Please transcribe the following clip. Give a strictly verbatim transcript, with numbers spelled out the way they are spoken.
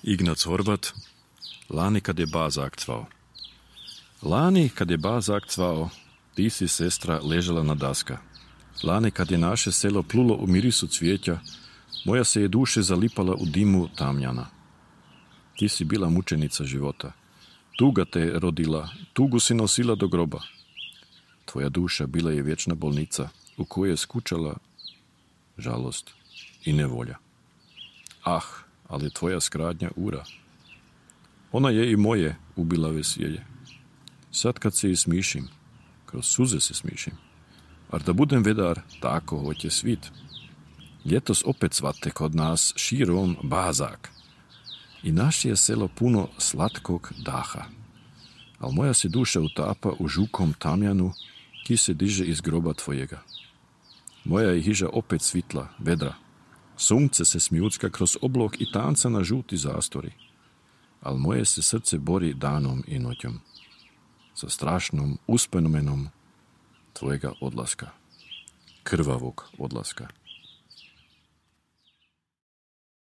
Ignac Horvat, lani kad je ba zakcvao. Lani kad je ba zakcvao, ti si, sestra, ležala na daska. Lani kad je naše selo plulo u mirisu cvijeća, moja se je duše zalipala u dimu tamjana. Ti si bila mučenica života. Tuga te je rodila, tugu si nosila do groba. Tvoja duša bila je vječna bolnica u kojoj je skučala žalost i nevolja. Ah, ali tvoja skradnja ura. Ona je i moje ubila veselje. Sad kad se i smišim, kroz suze se smišim, ar da budem vedar, tako hoće svit. Ljetos opet svate kod nas širom bazak. I naše je selo puno slatkog daha. Al moja se duša utapa u žukom tamjanu, ki se diže iz groba tvojega. Moja je hiža opet svitla, vedra. Sunce se smjucka kroz oblok i tanca na žuti zastori. Al moje se srce bori danom i noćom. Sa strašnom uspomenom tvojega odlaska. Krvavog odlaska.